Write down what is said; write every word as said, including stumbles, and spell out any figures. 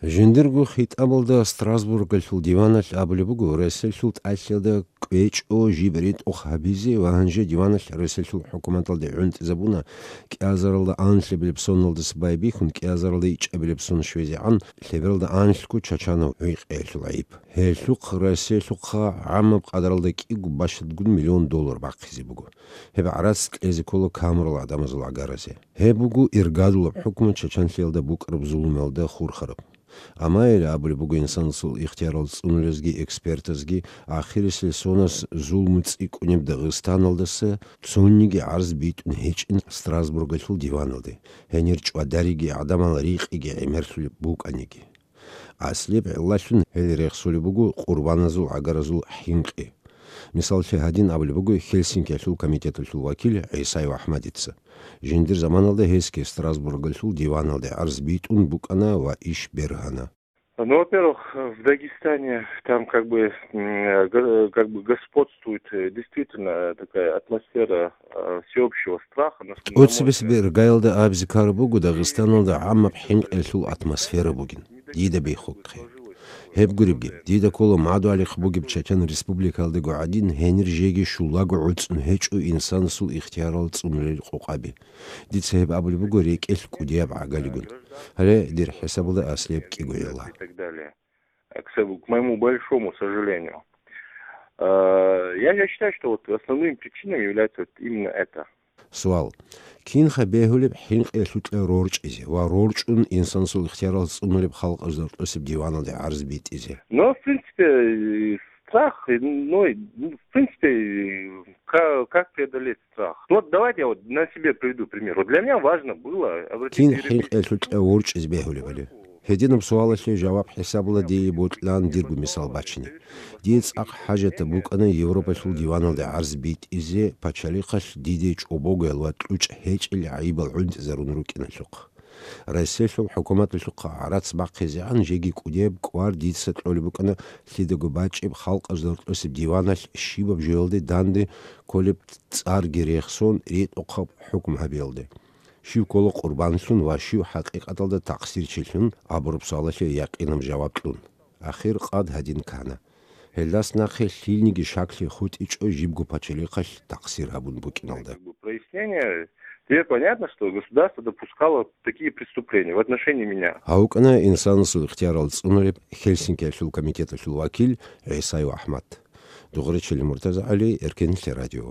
Жиндирго хитӀабалда Страсбургалъул диваналъ абулеб буго, Россиялъул тӀалъиялда кӀвечӀо жиб ритӀухъ гьабизе ва гьанже диваналъ Россиялъул хӀукуматалде гӀунтӀизабуна кӀиазаралда анлъабилеб соналдаса байбихьун, кӀиазаралда ичӀабилеб сон щвезегӀан лъебералда анлъго чачанав гӀуй-кьеялъул гӀайиб. Гьелъухъ Россиялъухъа гӀамаб къадаралда кӀиго бащадгун миллион доллар бахъизе буго. Гьеб гӀарац кьезе ккола камурал гӀадамазул гӀагаразе. Гьеб буго иргадулаб хӀукму чачанлъиялда букӀараб зулумалда хурхараб. Амма гьеле абулеб буго инсанасул ихтиярал цӀунулезги экспертазги, ахирисел сонас зулму цӀикӀкӀунеб Дагъистаналдаса цониги гӀарз битӀун гьечӀин Страсбургалъул диваналде, гьенир чӀвадариги гӀадамал рикъиги гӀемерлъулеб букӀаниги. Аслияб гӀиллалъун гьел рехсулеб буго къурбаназул гӀагаразул хӀинкъи. Мисаллъи гьадин абулеб буго Хельсинкиялъул комитеталъул вакил ГӀисаев АхӀмадица. Жиндир заманалда гьесги Страсбургалъул диваналде гӀарз битӀун букӀана ва иш бергьана. Ну, во-первых, в Дагестане там как бы, м, гор-, как бы господствует, э, действительно такая атмосфера, э, всеобщего страха. ТӀоцебесеб иргаялда абизе ккараб буго Дагъистаналда гӀамаб хӀинкъиялъул атмосфера бугин, дида бихьухъе. Гьеб гуребги, дида ккола мадугьалихъ бугеб Чачан Республикаялдаго гӀадин, гьенир жеги щулаго гӀуцӀун гьечӀо инсанасул ихтиярал цӀунулел къокъаби. Дица гьеб абулеб буго рекӀелъ кӀудияб гӀагалигун. Гьале дир хӀисабалда аслияб кӀиго гӀилла. И так далее. К сожалению, к моему большому сожалению. Э, я, я считаю, что вот основными причинами является вот именно это. Суал. Кинха бегьулеб хӀинкъиялъукьа рорчӀизе ва рорчӀун инсанасул ихтиярал цӀунулеб халкъалъ рорчӀосеб диваналде гӀарз битӀизе? Но, в принципе, э, страх, э, ну, и, ну, в принципе, э, ка-, как преодолеть страх? Вот давайте я вот на себе приведу пример. Вот для меня важно было обратить... Кин хӀинкъиялъукьа ворчӀиз бегьулебали? Гьединаб суалалъе жаваб хӀисабула дие бокьилан дирго мисал бачине. Дие цӀакъ хӀажатаб букӀана Европалъул диваналде гӀарз битӀизе, пачалихъалъ диде чӀобогоял ва кьучӀ гьечӀел гӀайибал гӀунтӀизарун рукӀиналъухъ. Россиялъул хӀукуматалъухъа гӀарац бахъизегӀан жеги кӀудияб кӀвар дица кьолеб букӀана лъидаго бачӀеб халкъалъ рорчӀосеб диваналъ щибаб жоялде данде кколеб цӀарги рехсон ритӀухъаб хӀукму гьабиялде. Щив ккола къурбанлъун ва щив хӀакъикъаталда такъсирчилъун абураб суалалъе якъинаб жаваб кьун. Ахир къад гьадин ккана. Гьелдас нахъе лъилниги шаклъи хутӀичӀо жибго пачалихъалъ такъсир гьабун букӀиналда. Как бы прояснение. Теперь понятно, что государство допускало такие преступления в отношении меня. Гьав вукӀана инсанасул ихтиярал цӀунулеб Хельсинкиялъул комитеталъул вакил ГӀисаев АхӀмад. Дугъричили МуртазагӀали, Эркенлъи радио.